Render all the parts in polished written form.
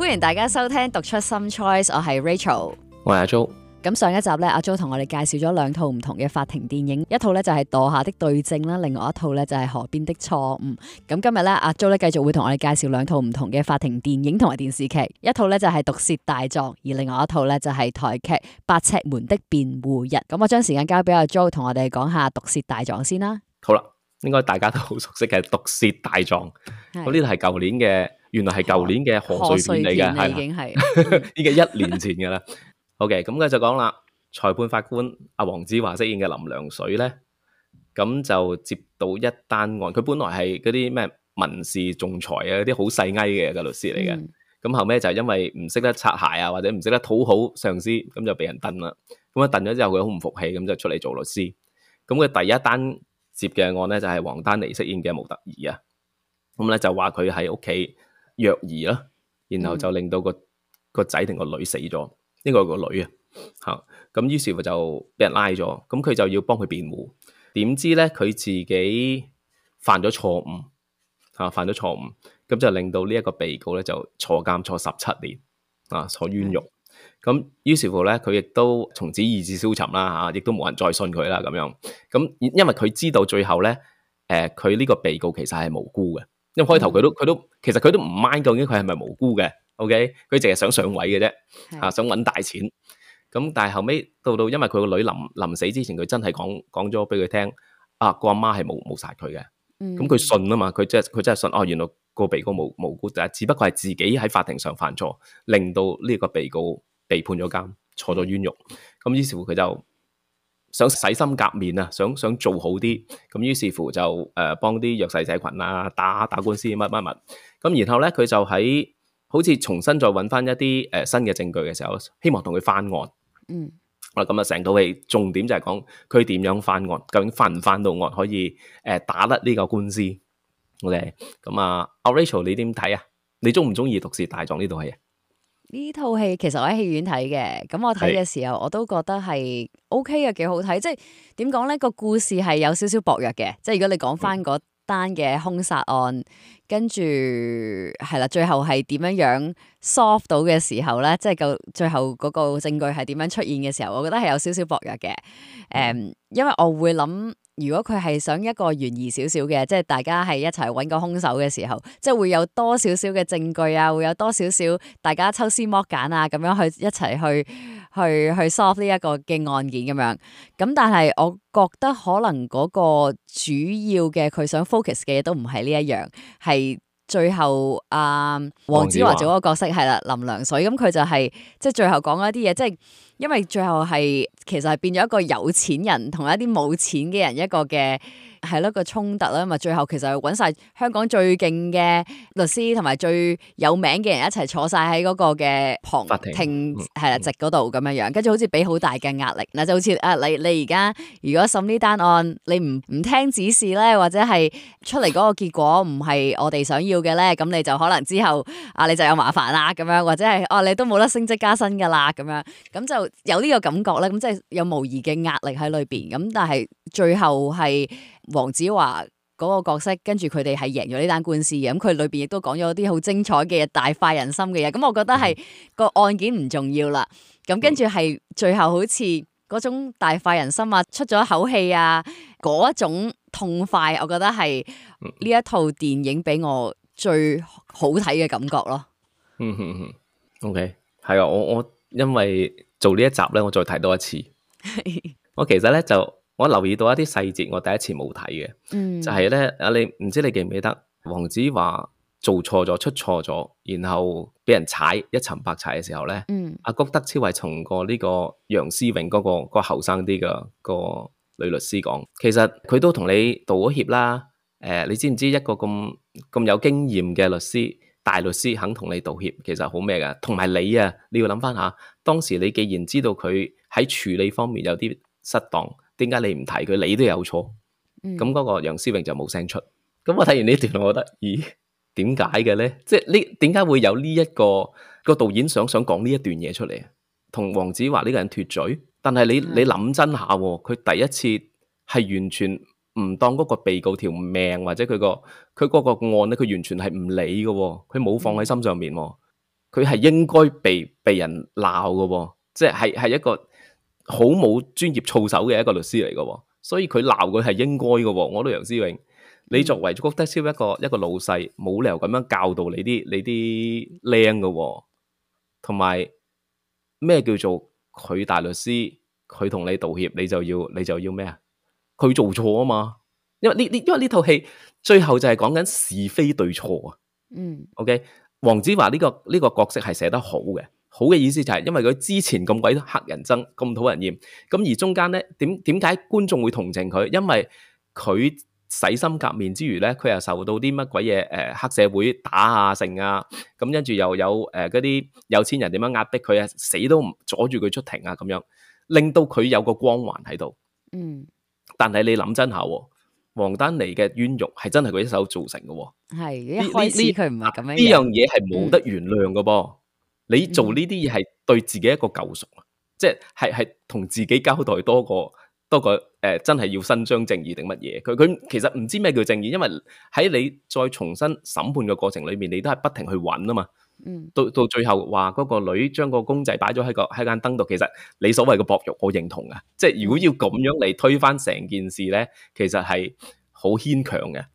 歡迎大家收聽讀出心 choice， 我係 Rachel， 我係阿 Jo。咁上一集咧，阿 Jo 同我哋介紹咗兩套唔同嘅法庭電影，一套咧就係墮下的對證啦，另外一套咧就係河邊的錯誤。咁今日咧，阿 Jo 咧繼續會同我哋介紹兩套唔同嘅法庭電影同埋電視劇，一套咧就係毒舌大狀，而另外一套咧就係台劇八尺門的辯護人。咁我將時間交俾阿 Jo 同我哋講下毒舌大狀先啦。好啦，應該大家都好熟悉嘅毒舌大狀，咁呢度係舊年嘅，原來係舊年嘅賀歲片嚟嘅，係已經係已經1年前噶啦。OK， 咁佢就講啦，裁判法官阿黃子華飾演嘅林良水咧，咁就接到一單案，佢本來係嗰啲咩民事仲裁啊，嗰啲好細埃嘅律師嚟嘅，咁後尾就因為唔識得擦鞋啊，或者唔識得討好上司，咁就俾人燉啦。咁啊燉咗之後，佢好唔服氣，咁就出嚟做律師。咁佢第一單接嘅案咧就係黃丹妮飾演嘅模特兒啊，咁咧就話佢喺屋企虐兒啦，然後就令到個仔定個女死咗，呢個個女啊吓，咁於是乎就俾人拉咗，咁佢就要幫佢辯護，點知咧佢自己犯咗錯誤吓，犯咗錯誤，咁就令到呢一個被告咧就坐監坐17年啊，坐冤獄。咁於是乎咧，佢亦都從此意志消沉啦嚇，亦都冇人再信佢啦咁樣。咁因為佢知道最後咧，佢呢個被告其實係無辜嘅。因為開頭其實佢都唔 mind 究竟佢係咪無辜嘅。OK， 佢淨係想上位嘅啫，想揾大錢。咁但係後尾到因為佢個女臨死之前，佢真係講咗俾佢聽，個阿媽係冇殺佢嘅。咁佢信啊嘛，佢真係信原來個被告無辜，但係只不過係自己喺法庭上犯錯，令到呢個被告被判咗監，坐咗冤獄。咁於是乎佢就想洗心革面啊，想做好啲。咁於是乎就幫啲弱勢社群啊打官司乜。咁然後咧佢就喺好似重新再揾翻一啲新嘅證據嘅時候，希望同佢翻案。咁啊成套戲重點就係講佢點樣翻案，究竟翻唔翻到案，可以打甩呢個官司。OK， 咁阿 Rachel 你點睇啊？你中唔中意毒舌大狀呢套戲啊？呢套戲其實我喺戲院睇嘅，咁我睇嘅時候我都覺得係 OK 嘅，幾好睇。即係點講咧？個故事係有少少薄弱嘅。即係如果你講翻嗰單嘅兇殺案，跟住係啦，最後係點樣 solve 到嘅時候咧，即係最後嗰個證據係點樣出現嘅時候，我覺得係有少少薄弱嘅。因為我會諗，如果佢係想一個懸疑少少嘅，即係大家係一齊揾個兇手嘅時候，即係會有多少少嘅證據啊，會有多少少大家抽絲剝繭啊，咁樣去一齊去 solve 呢一個嘅案件咁樣。咁但係我覺得可能嗰個主要嘅佢想 focus 嘅嘢都唔係呢一樣，係最後黃子華做嗰個角色係啦，林良水。咁佢就係即係最後講一啲嘢，即係因為最後係其實係變咗一個有錢人同一啲冇錢嘅人一個嘅係咯個衝突啦。咁啊最後其實係揾晒香港最勁嘅律師同埋最有名嘅人一齊坐晒喺嗰個嘅法庭係啦席嗰度咁樣，跟住好似俾好大嘅壓力。嗱就好似你而家如果審呢單案，你唔聽指示咧，或者係出嚟嗰個結果唔係我哋想要嘅咧，咁你就可能之後你就有麻煩啦咁樣，或者係你都冇得升職加薪噶啦咁樣，咁就有呢個感覺咧。咁即係有無疑嘅壓力喺裏邊。咁但係最後係黃子華嗰個角色，跟住佢哋係贏咗呢單官司嘅。咁佢裏邊亦都講咗啲好精彩嘅嘢，大快人心嘅嘢。咁我覺得係個案件唔重要啦。咁跟住係最後好似嗰種大快人心啊，出咗一口氣啊，嗰種痛快，我覺得係呢一套電影俾我最好睇嘅感覺咯。OK， 係啊，我因為做呢一集咧，我再睇多一次。我其實咧我留意到一啲細節，我第一次冇睇嘅，就係咧你唔知你記唔記得黃子華做錯咗出錯咗，然後俾人踩一沉百踩嘅時候咧，阿谷德超係從呢個楊思穎嗰個後生啲嘅個女律師講，其實佢都同你道咗歉啦。你知唔知一個咁有經驗嘅律師？大律師肯同你道歉，其實好咩㗎？同埋你啊，你要諗翻下，當時你既然知道佢喺處理方面有啲失當，點解你唔提佢？你都有錯。咁嗰個楊思穎就冇聲出。咁我睇完呢段，我覺得，咦，點解嘅咧？即係呢，點解會有呢一個導演想講呢一段嘢出嚟，同黃子華呢個人脫罪？但係你諗真下，佢第一次係完全唔當嗰個被告條命，或者佢嗰個案咧，佢完全係唔理嘅，佢冇放喺心上面。佢係應該被人鬧嘅喎，即係一個好冇專業操守嘅一個律師嚟嘅喎，所以佢鬧佢係應該嘅喎。我覺得楊思榮，你作為谷德超一個老細，冇理由咁樣教導你啲僆嘅喎，同埋咩叫做佢大律師，佢同你道歉，你就要咩啊？佢做錯啊嘛，因為呢套戲最後就係講緊是非對錯啊。OK， 黃子華呢個角色係寫得好嘅，好嘅意思就係因為佢之前咁鬼黑人憎，咁討人厭，咁而中間咧點解觀眾會同情佢？因為佢洗心革面之餘咧，佢又受到啲乜鬼嘢黑社會打啊成啊，咁跟住又有嗰啲有錢人點樣壓迫佢啊，死都唔阻住佢出庭啊，咁樣令到佢有個光環喺度。但係你諗真下，王丹妮嘅冤獄係真係佢一手造成嘅。係一開始佢唔係咁樣，呢樣嘢係冇得原諒嘅噃。你做呢啲嘢係對自己一個救贖啊，即係同自己交代多過真係要伸張正義定乜嘢？佢其實唔知咩叫正義，因為喺你再重新審判嘅過程裏面，你都係不停去揾啊嘛。到最後話嗰個女將個公仔擺咗喺間燈度，其實你所謂嘅薄辱，我認同啊。即係如果要咁樣嚟推翻成件事咧，其實係好牽強嘅。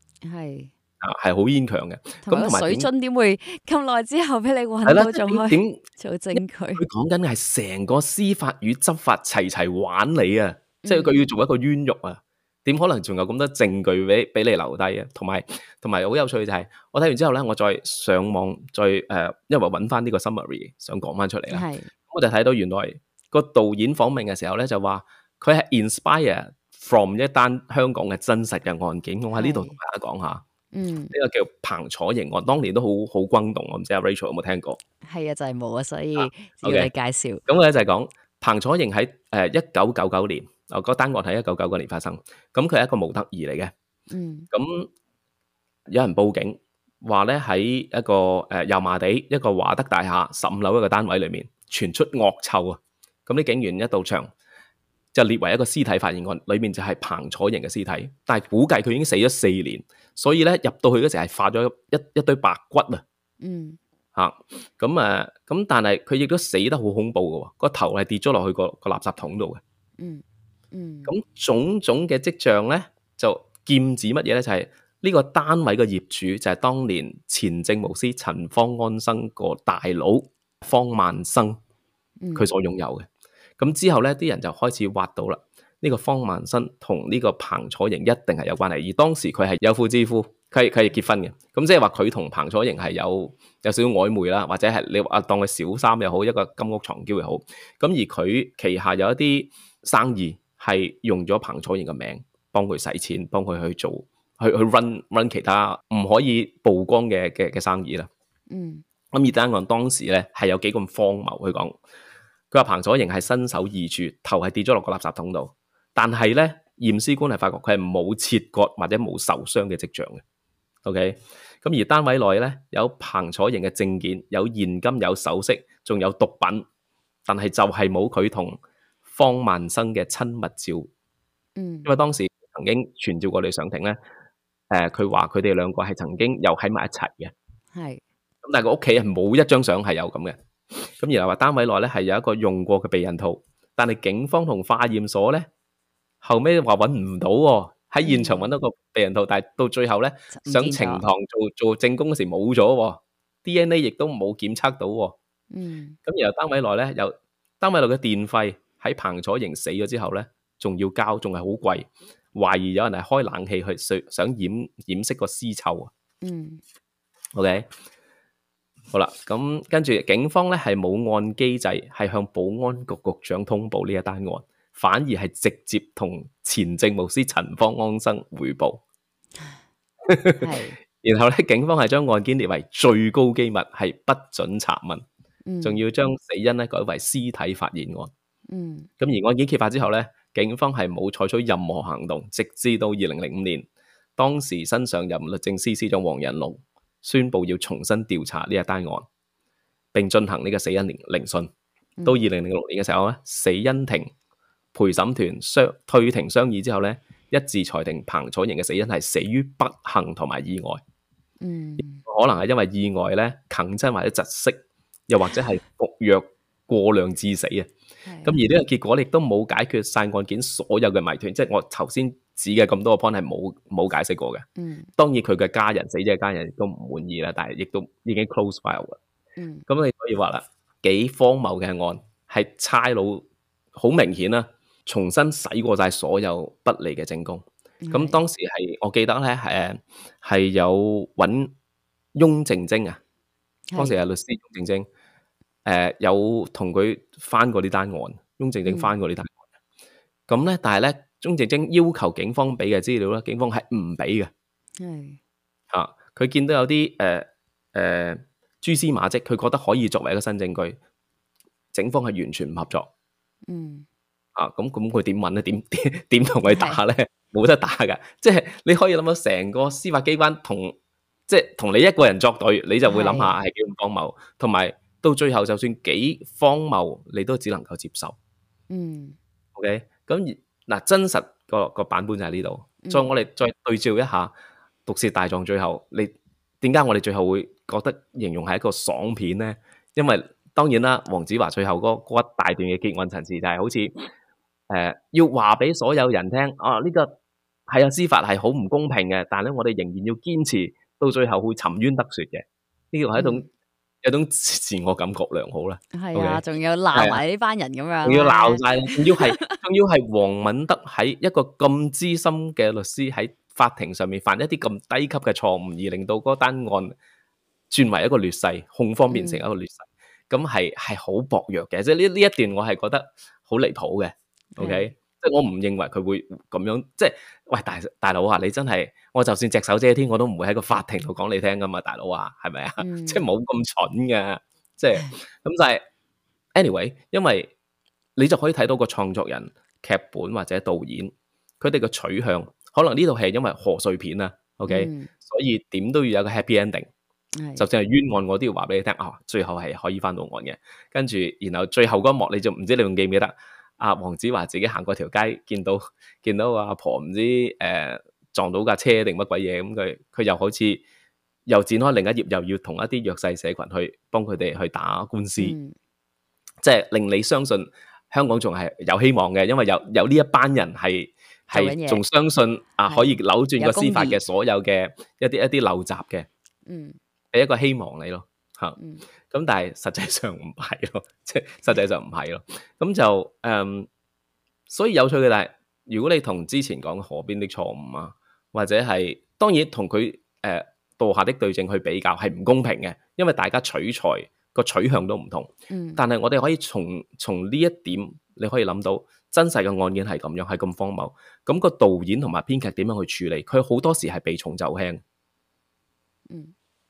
係好牽強嘅。咁同埋水樽點會咁耐之後俾你揾到仲可以做證據？佢講緊係成個司法與執法齊玩你啊！即係佢要做一個冤獄啊！點可能仲有咁多證據俾你留低啊？同埋好有趣就係我睇完之後咧，我再上網因為揾翻呢個 summary 想講翻出嚟啦。我就睇到原來個導演訪問嘅時候咧，就話佢係 inspire from 一單香港嘅真實嘅案件。我喺呢度同大家講下。呢個叫彭楚營案，當年都好轟動。我唔知阿 Rachel 有冇聽過？係啊，就係冇啊，所以要你介紹。咁咧就係講彭楚營喺1999年，嗰單案喺1999年發生。咁佢係一個模特兒嚟嘅。咁有人報警話咧喺一個油麻地一個華德大廈15樓一個單位裏面傳出惡臭啊！咁啲警員一到場就列為一個屍體發現案，裏面就係彭楚營嘅屍體，但係估計佢已經死咗4年，所以咧入到去嗰時係化咗一堆白骨啊！咁但係佢亦都死得好恐怖嘅，個頭係跌咗落去個垃圾桶度嘅。咁種種嘅跡象咧，就劍指乜嘢咧？就係呢個單位嘅業主就係當年前政務司陳方安生個大佬方萬生，佢所擁有嘅。咁之後咧，啲人就開始挖到啦。呢個方萬生同呢個彭楚營一定係有關係，而當時佢係有婦之夫，佢係結婚嘅。咁即係話佢同彭楚營係有少少曖昧啦，或者係你話當佢小三又好，一個金屋藏嬌又好。咁而佢旗下有一啲生意係用咗彭楚營嘅名，幫佢使錢，幫佢去做去 run 其他唔可以曝光嘅生意啦。咁而單案當時咧係有幾咁荒謬去講。佢話彭楚營係身首異處，頭係跌咗落個垃圾桶度，但係咧驗屍官係發覺佢係冇切割或者冇受傷嘅跡象嘅。OK， 咁而單位內咧有彭楚營嘅證件、有現金、有首飾，仲有毒品，但係就係冇佢同方萬生嘅親密照。因為當時曾經傳召過你上庭咧，佢話佢哋兩個係曾經又喺埋一齊嘅。咁但係個屋企係冇一張相係有咁嘅。咁然後話單位內咧係有一個用過嘅避孕套，但係警方同化驗所咧後尾話揾唔到喎，喺現場揾到個避孕套，但係到最後咧上呈堂做證供嗰時冇咗，DNA 亦都冇檢測到。咁然後單位內咧有單位內嘅電費喺彭楚營死咗之後咧仲要交，仲係好貴，懷疑有人係開冷氣去想掩飾個屍臭啊。OK。好啦，咁跟住警方咧係冇按機制係向保安局局長通報呢一單案，反而係直接同前政務司陳方安生匯報。然後咧，警方係將案件列為最高機密，係不准查問，仲要將死因咧改為屍體發現案。咁而案件揭發之後咧，警方係冇採取任何行動，直至到2005年，當時新上任律政司司長黃仁龍宣布要重新調查呢一單案，並進行呢個死因聆訊。到2006年嘅時候咧，死因庭陪審團退庭商議之後咧，一致裁定彭楚營嘅死因係死於不幸同埋意外。可能係因為意外咧，啃親或者窒息，又或者係服藥過量致死啊。咁而呢個結果亦都冇解決晒案件所有嘅謎團，即係我頭先指嘅咁多個 point 係冇解釋過嘅。當然佢嘅家人、死者嘅家人亦都唔滿意啦，但係亦都已經 close file 啦。咁你可以話啦，幾荒謬嘅案，係差佬好明顯啦，重新洗過晒所有不利嘅證供。咁當時係我記得咧，係有揾翁靜晶啊，當時係律師翁靜晶。有同佢翻過呢單案，翁靜晶翻過呢單案。咁咧，但係咧，翁靜晶要求警方俾嘅資料咧，警方係唔俾嘅。佢見到有啲蛛絲馬跡，佢覺得可以作為一個新證據，警方係完全唔合作。咁佢點問咧？點同佢打咧？冇得打噶，即係你可以諗到成個司法機關即係同你一個人作對，你就會諗下係幾咁荒謬，同埋到最後就算幾荒謬，你都只能夠接受。OK， 咁嗱，真實個版本就喺呢度。我哋再對照一下《毒舌大狀》最後，你點解我哋最後會覺得形容係一個爽片咧？因為當然啦，黃子華最後嗰一大段嘅結案陳詞就係好似要話俾所有人聽，呢個係司法係好唔公平嘅，但係咧我哋仍然要堅持到最後會沉冤得雪嘅。呢個係一種自我感覺良好啦。係啊，仲要鬧埋呢班人咁樣，仲要鬧晒，仲要係黃敏德喺一個咁資深嘅律師喺法庭上面犯一啲咁低級嘅錯誤，而令到嗰單案轉為一個劣勢，控方變成一個劣勢，咁係好薄弱嘅。即係呢一段我係覺得好離譜嘅。OK，即係我唔認為佢會咁樣，即係喂大佬啊，你真係我就算隻手遮天，我都唔會喺個法庭度講你聽噶嘛，大佬啊，係咪啊？即係冇咁蠢噶，即係咁就係 anyway， 因為你就可以睇到個創作人、劇本或者導演佢哋嘅取向，可能呢套戲因為賀歲片啊 ，OK，所以點都要有個 happy ending。就算係冤案，我都要話俾你聽，最後係可以翻到案嘅。跟住，然後最後嗰一幕，你就唔知你仲記唔記得？黃子華自己行過條街，見到阿婆唔知撞到架車定乜鬼嘢，咁佢又好似又展開另一頁，又要同一啲弱勢社群去幫佢哋去打官司，即係令你相信香港仲係有希望嘅，因為有呢一班人係仲相信可以扭轉個司法嘅所有嘅一啲陋習嘅，係一個希望你咯。咁但係實際上唔係咯，即係實際上唔係咯，咁就所以有趣嘅，但係如果你同之前講河邊的錯誤啊，或者係當然同佢墮下的對證去比較係唔公平嘅，因為大家取材個取向都唔同。但係我哋可以從呢一點，你可以諗到真實嘅案件係咁樣，係咁荒謬。咁個導演同埋編劇點樣去處理？佢好多時係避重就輕。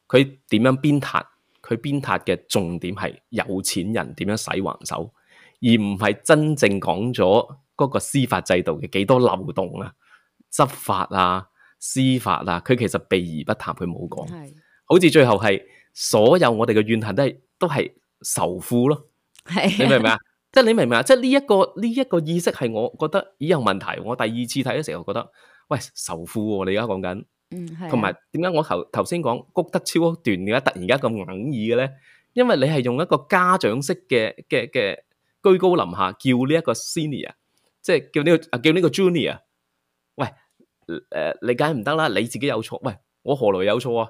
佢點樣鞭撻？佢鞭撻嘅重點係有錢人點樣使橫手，而唔係真正講咗嗰個司法制度嘅幾多漏洞啊、執法啊、司法啊，佢其實避而不談，佢冇講。好似最後係所有我哋嘅怨恨都係仇富咯。你明唔明啊？即係你明唔明啊？即係呢一個意識係我覺得有問題。我第二次睇嘅時候覺得，喂，仇富喎，你而家講緊。同埋點解我頭先講谷德超嗰段點解突然間咁哽耳嘅咧？因為你係用一個家長式嘅居高臨下叫呢一個 senior， 即係叫呢個 junior。喂，你梗係唔得啦，你自己有錯。喂，我何來有錯啊？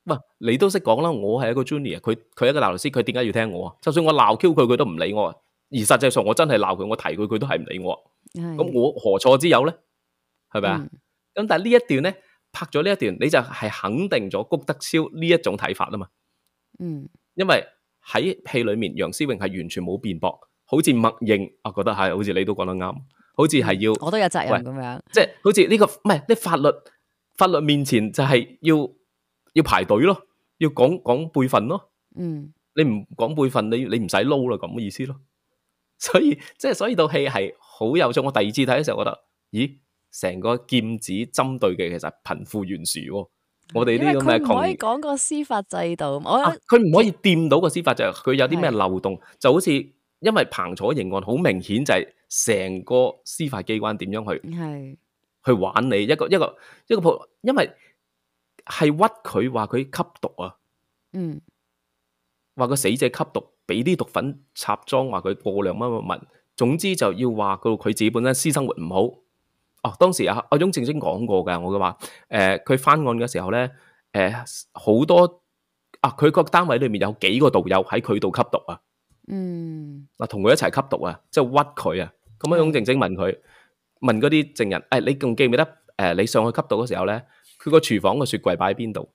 喂，你都識講啦，我係一個 junior， 佢係一個大律師，佢點解要聽我啊？就算我鬧 Q 佢，佢都唔理我。而實際上我真係鬧佢，我提佢，佢都係唔理我。咁我何錯之有咧？係咪啊？咁但係呢一段咧，拍咗呢一段，你就係肯定咗谷德超呢一種睇法啊嘛。因為喺戲裏面，楊思穎係完全冇辯駁，好似默認，我覺得係，好似你都講得啱，好似係要，我都有責任咁樣，即係好似呢個唔係啲法律面前就係要排隊咯，要講輩分咯。你唔講輩分，你唔使撈啦，咁嘅意思咯。所以套戲係好有趣。我第二次睇嘅時候，覺得，咦？成個劍指針對嘅其實貧富懸殊，我哋呢個咩？佢唔可以講個司法制度，佢唔可以掂到個司法制度，佢有啲咩漏洞，就好似因為彭楚營案好明顯就係成個司法機關點樣去玩你一個，因為係屈佢話佢吸毒啊，話個死者吸毒，俾啲毒粉插裝，話佢過量乜乜乜，總之就要話佢自己本身私生活唔好。哦，當時阿翁正正講過㗎，我嘅話佢翻案嘅時候咧，好多佢個單位裏面有幾個道友喺佢度吸毒啊。嗱，同佢一齊吸毒啊，即係屈佢啊。咁阿翁正正問嗰啲證人，你仲記唔記得你上去吸毒嘅時候咧，佢個廚房個雪櫃擺喺邊度？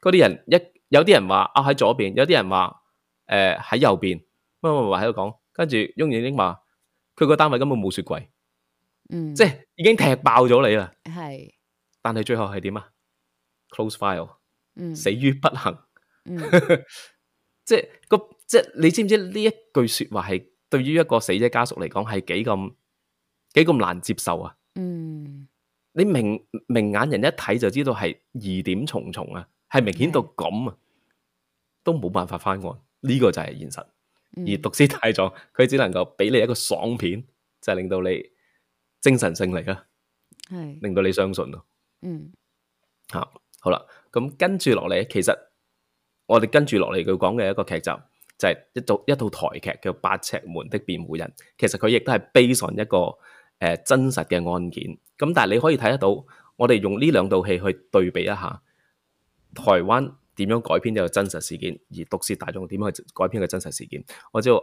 嗰啲人有啲人話喺左邊，有啲人話喺右邊，乜喺度講。跟住翁正正話佢個單位根本冇雪櫃，即係已經踢爆咗你啦。係，但係最後係點啊？Close file，死於不幸。即係你知唔知呢一句說話係對於一個死者家屬嚟講係幾咁難接受啊？你明眼人一睇就知道係疑點重重啊，係明顯到咁啊，都冇辦法翻案。呢個就係現實。而毒屍大狀佢只能夠俾你一個爽片，就係令到你精神勝利啦，令到你相信咯。好啦，咁跟住落嚟，其實我哋跟住落嚟佢講嘅一個劇集就係一套台劇叫《八尺門的辯護人》，其實佢亦都係 based on一個真實嘅案件。咁但係你可以睇得到，我哋用呢兩套戲去對比一下，台灣點樣改編一個真實事件，而毒舌大狀點樣去改編一個真實事件。我知道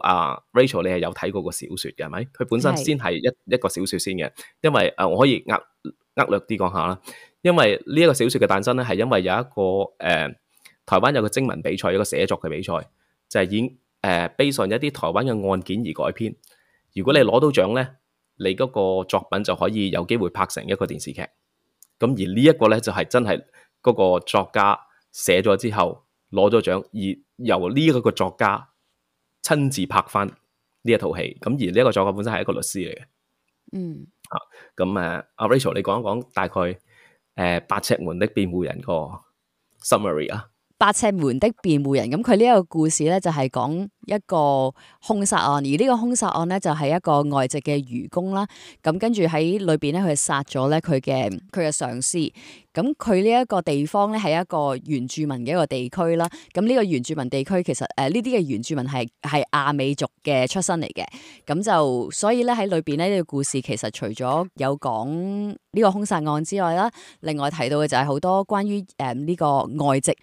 Rachel 你係有睇過個小說嘅係咪？佢本身先係一個小說先嘅，因為我可以略啲講下啦。因為呢一個小說嘅誕生咧，係因為有一個台灣有個徵文比賽，一個寫作嘅比賽，就係以based on一啲台灣嘅案件而改編。如果你攞到獎咧，你嗰個作品就可以有機會拍成一個電視劇。咁而呢一個咧就係真係嗰個作家寫咗之後攞咗獎，而由呢一個作家親自拍翻呢一套戲。咁而呢一個作家本身係一個律師嚟嘅。咁阿 Rachel 你講一講大概八尺門的辯護人個 summary 啊。八尺門的辯護人，咁佢呢一個故事咧就係講一個兇殺案，而呢個兇殺案咧就係一個外籍嘅漁工啦。咁跟住喺裏邊咧，佢殺咗咧佢嘅上司。咁佢呢一個地方咧係一個原住民嘅一個地區啦。咁呢個原住民地區其實呢啲嘅原住民係亞美族嘅出身嚟嘅。咁就所以咧喺裏邊咧呢個故事其實除咗有講呢個兇殺案之外啦，另外提到嘅就係好多關於呢個外籍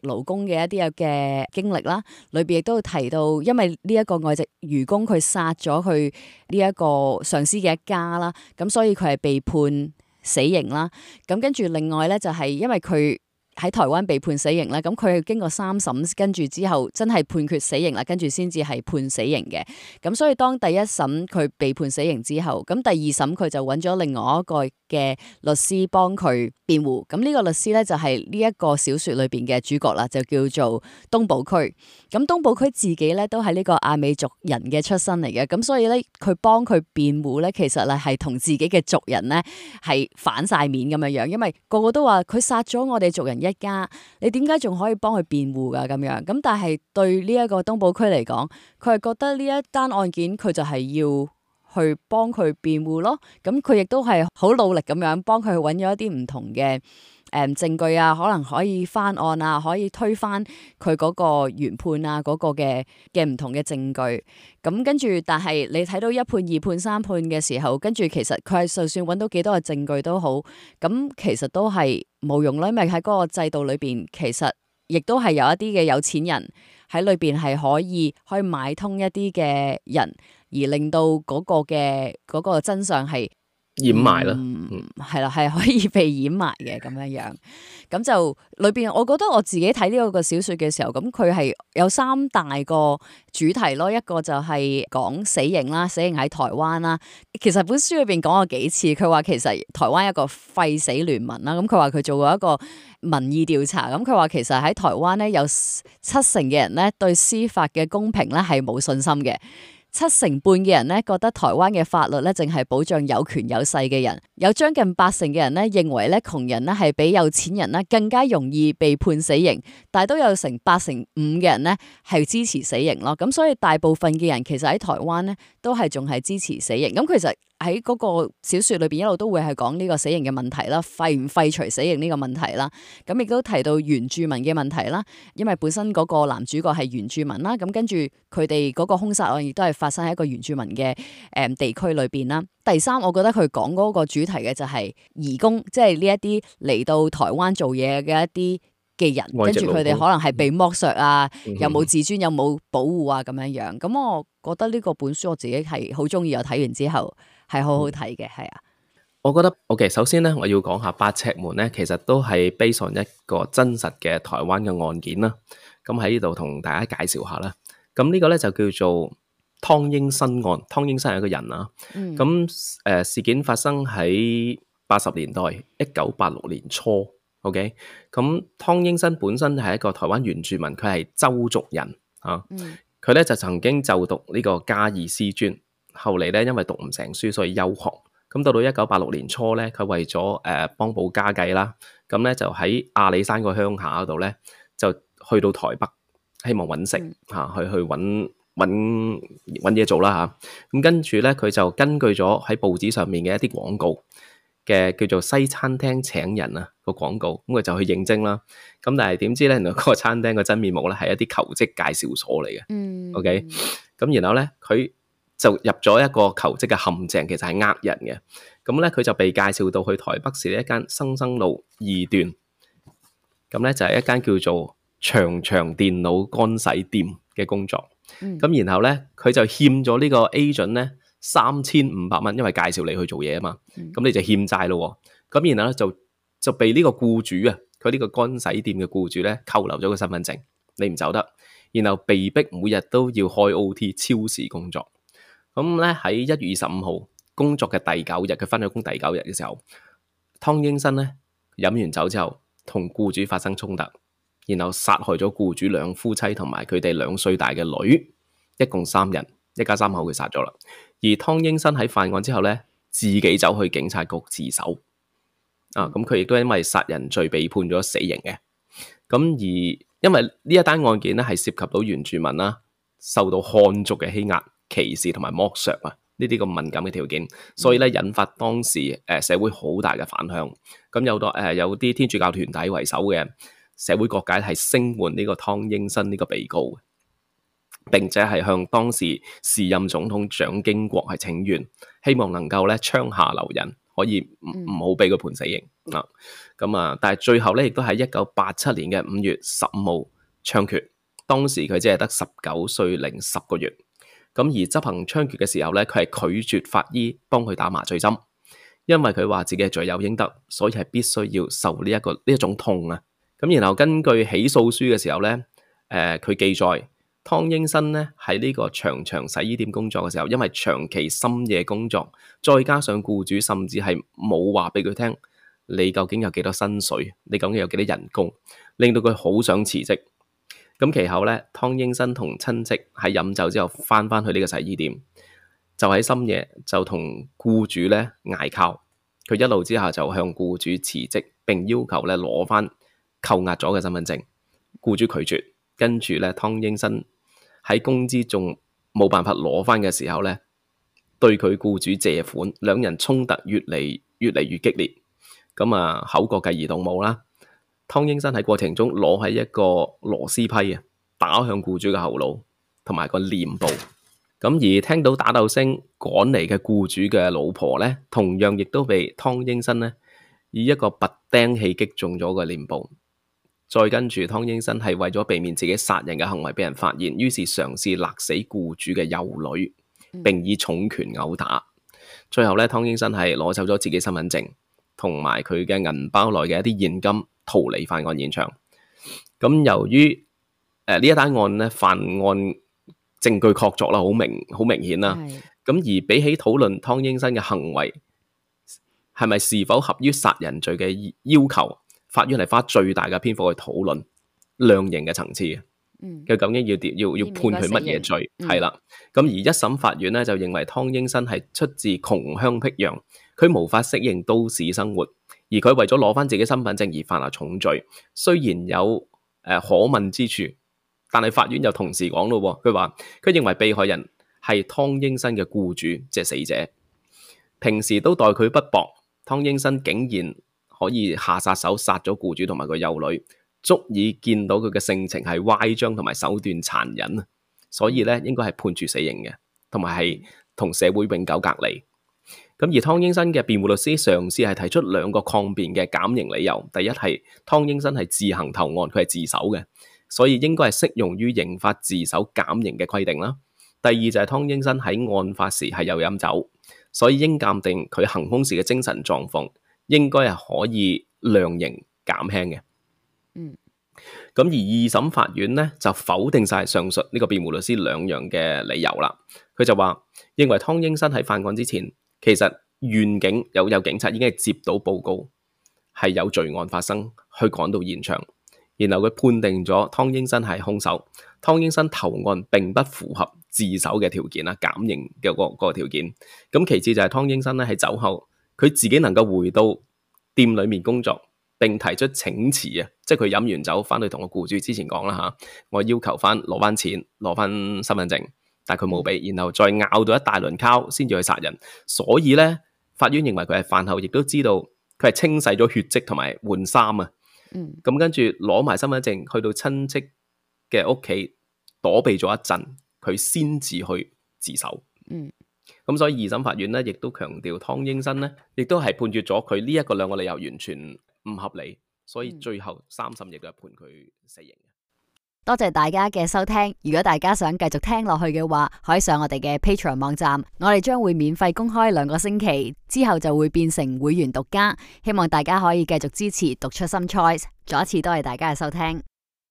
勞工嘅一啲嘅經歷啦。裏邊亦都提到，因為呢一個外籍漁工佢殺咗佢呢一個上司嘅一家啦，咁所以佢係被判死刑啦。咁跟住另外咧就係因為佢喺台灣被判死刑啦，咁佢經過3審，跟住之後真係判決死刑啦，跟住先至係判死刑嘅。咁所以當第一審佢被判死刑之後，咁第二審佢就揾咗另外一個嘅律師幫佢辯護。咁呢個律師咧就係呢一個小說裏邊嘅主角啦，就叫做東部區。咁東部區自己咧都係呢個亞美族人嘅出身嚟嘅，咁所以咧佢幫佢辯護咧，其實咧係同自己嘅族人咧係反晒面咁樣樣，因為個個都話佢殺咗我哋族人一家，你點解仲可以幫佢辯護噶咁樣？咁但係對呢一個東部區嚟講，佢係覺得呢一單案件佢就係要去幫佢辯護咯。咁佢亦都係好努力咁樣幫佢揾咗一啲唔同嘅證據啊，可能可以翻案啊，可以推翻佢嗰個原判啊，嗰個嘅唔同嘅證據。咁跟住，但係你睇到1判、2判、3判嘅時候，跟住其實佢係就算揾到幾多嘅證據都好，咁其實都係冇用啦。因為喺嗰個制度裏邊，其實亦都係有一啲嘅有錢人喺裏邊係可以買通一啲嘅人，而令到嗰個真相係掩埋啦，係啦，係可以被掩埋嘅咁樣樣。咁就裏邊，我覺得我自己睇呢個小說嘅時候，咁佢係有3大個主題咯。一個就係講死刑啦，死刑喺台灣啦。其實本書裏邊講過幾次，佢話其實台灣一個廢死聯盟啦。咁佢話佢做過一個民意調查，咁佢話其實喺台灣咧有70%嘅人咧對司法嘅公平咧係冇信心嘅。70%嘅人咧覺得台灣嘅法律咧淨係保障有權有勢嘅人，有將近80%嘅人咧認為咧窮人咧係比有錢人咧更加容易被判死刑，但係都有成85%嘅人咧係支持死刑咯。咁所以大部分嘅人其實喺台灣咧都係仲係支持死刑。咁其實喺嗰個小說裏邊一路都會係講呢個死刑嘅問題啦，廢唔廢除死刑呢個問題啦。咁亦都提到原住民嘅問題啦，因為本身嗰個男主角係原住民啦。咁跟住佢哋嗰個兇殺案亦都係發生喺一個原住民嘅地區裏邊啦。第三，我覺得佢講嗰個主題嘅就係移工，即係呢一啲嚟到台灣做嘢嘅一啲嘅人，跟住佢哋可能係被剝削啊，有冇自尊，有冇保護啊咁樣樣。咁我覺得呢個本書我自己係好中意，我睇完之後係好好睇嘅，係啊。我覺得 OK， 首先咧，我要講下八尺門咧，其實都係 based on 一個真實嘅台灣嘅案件啦。咁喺呢度同大家介紹下啦。咁呢個咧就叫做湯英伸案。湯英伸係一個人啊。咁事件發生喺80年代，1986年初。OK， 咁湯英伸本身係一個台灣原住民，佢係鄒族人啊。佢咧就曾經就讀呢個嘉義師專，後嚟咧因為讀唔成書，所以休學。咁到1986年初咧，佢為咗幫補家計啦，咁咧就喺阿里山個鄉下嗰度咧，就去到台北，希望揾食嚇，去揾嘢做啦嚇。咁跟住咧，佢就根據咗喺報紙上面嘅一啲廣告嘅叫做西餐廳請人啊個廣告，咁佢就去應徵啦。咁但係點知咧，原來嗰個餐廳嘅真面目咧係一啲求職介紹所嚟嘅。OK， 咁然後咧佢就入咗一個求職嘅陷阱，其實係呃人嘅。咁咧佢就被介紹到去台北市一間生路2段，咁咧就係一間叫做長長電腦乾洗店嘅工作。咁然後咧佢就欠咗呢個 agent 咧3500蚊，因為介紹你去做嘢啊嘛。咁你就欠債咯。咁然後咧就被呢個僱主啊，佢呢個乾洗店嘅僱主咧扣留咗個身份證，你唔走得，然後被逼每日都要開 OT 超時工作。咁咧喺1月25號工作嘅第9日，佢返咗工第9日嘅時候，湯英伸咧飲完酒之後，同僱主發生衝突，然後殺害咗僱主2夫妻同埋佢哋2歲大嘅女，一共3人，一家3口佢殺咗啦。而湯英伸喺犯案之後咧，自己走去警察局自首。咁佢亦都因為殺人罪被判咗死刑嘅。咁而因為呢一單案件咧係涉及到原住民啦，受到漢族嘅欺壓、歧視同埋剝削啊，呢啲咁敏感嘅條件，所以咧引發當時社會好大嘅反響。咁有啲天主教團體為首嘅社會各界係聲援呢個湯英伸呢個被告，並且係向當時時任總統蔣經國係請願，希望能夠咧槍下留人，可以唔好俾佢判死刑啊。但係最後咧亦都喺1987年嘅5月15號槍決，當時佢只係得19歲零10個月。咁而執行槍決嘅時候咧，佢係拒絕法醫幫佢打麻醉針，因為佢話自己係罪有應得，所以係必須要受呢一種痛啊。咁然後根據起訴書嘅時候咧，佢記載湯英伸咧喺呢個長長洗衣店工作嘅時候，因為長期深夜工作，再加上僱主甚至係冇話俾佢聽，你究竟有幾多薪水，你究竟有幾多人工，令到佢好想辭職。咁其後咧，湯英伸同親戚喺飲酒之後翻去呢個洗衣店，就喺深夜就同僱主咧嗌交，佢一怒之下就向僱主辭職，並要求咧攞翻扣押咗嘅身份證。僱主拒絕，跟住咧湯英伸喺工資仲冇辦法攞翻嘅時候咧，對佢僱主借款，兩人衝突越嚟越激烈，口角繼而動武啦。湯英伸喺過程中攞起一個螺絲批啊，打向僱主嘅後腦同埋個臉部。咁而聽到打鬥聲趕嚟嘅僱主嘅老婆咧，同樣亦都被湯英伸咧以一個拔釘器擊中咗個臉部。再跟住湯英伸係為咗避免自己殺人嘅行為俾人發現，於是嘗試勒死僱主嘅幼女，並以重拳毆打。最後咧，湯英伸係攞走咗自己身份證同埋佢嘅銀包內嘅一啲現金，逃離犯案現場。咁由於呢一單案咧，犯案證據確鑿啦，好明顯啦。咁而比起討論湯英伸嘅行為係咪是否合於殺人罪嘅要求，法院係花最大嘅篇幅去討論量刑嘅層次嘅。佢究竟要判佢乜嘢罪？係啦，咁而一審法院咧就認為湯英伸係出自窮鄉僻壤，佢無法適應都市生活，而佢為咗攞翻自己身份證而犯下重罪。雖然有可問之處，但係法院又同時講咯，佢話佢認為被害人係湯英伸嘅僱主，即係死者，平時都待佢不薄，湯英伸竟然可以下殺手殺咗僱主同埋個幼女，足以見到佢嘅性情係歪張同埋手段殘忍啊！所以咧應該係判處死刑嘅，同埋係同社會永久隔離。咁而湯英伸嘅辯護律師嘗試係提出兩個抗辯嘅減刑理由。第一係湯英伸係自行投案，佢係自首嘅，所以應該係適用於刑法自首減刑嘅規定啦。第二就係湯英伸喺案發時係有飲酒，所以應鑑定佢行兇時嘅精神狀況應該係可以量刑減輕嘅。咁而二審法院咧就否定晒上述呢個辯護律師兩樣嘅理由啦。佢就話認為湯英伸喺犯案之前，其實縣警有警察已經係接到報告係有罪案發生，去趕到現場，然後佢判定咗湯英伸係兇手。湯英伸投案並不符合自首嘅條件啦，減刑嘅嗰個條件。咁其次就係湯英伸咧喺酒後，佢自己能夠回到店裏面工作，並提出請辭啊，即係佢飲完酒翻去同個僱主之前講啦吓，我要求翻攞翻錢，攞翻身份證，但係佢冇俾，然後再拗到一大輪交先至去殺人。所以咧，法院認為佢係飯後，亦都知道佢係清洗咗血跡同埋換衫啊。咁跟住攞埋身份證去到親戚嘅屋企躲避咗一陣，佢先至去自首。咁所以二審法院咧，亦都強調湯英伸咧，亦都係判決咗佢呢一個兩個理由完全唔合理，所以最後三審亦都係判佢死刑。多謝大家嘅收聽，如果大家想繼續聽落去嘅話，可以上我哋嘅 Patreon 網站，我哋將會免費公開2個星期，之後就會變成會員獨家，希望大家可以繼續支持讀出 Some Choice。再一次多謝大家嘅收聽。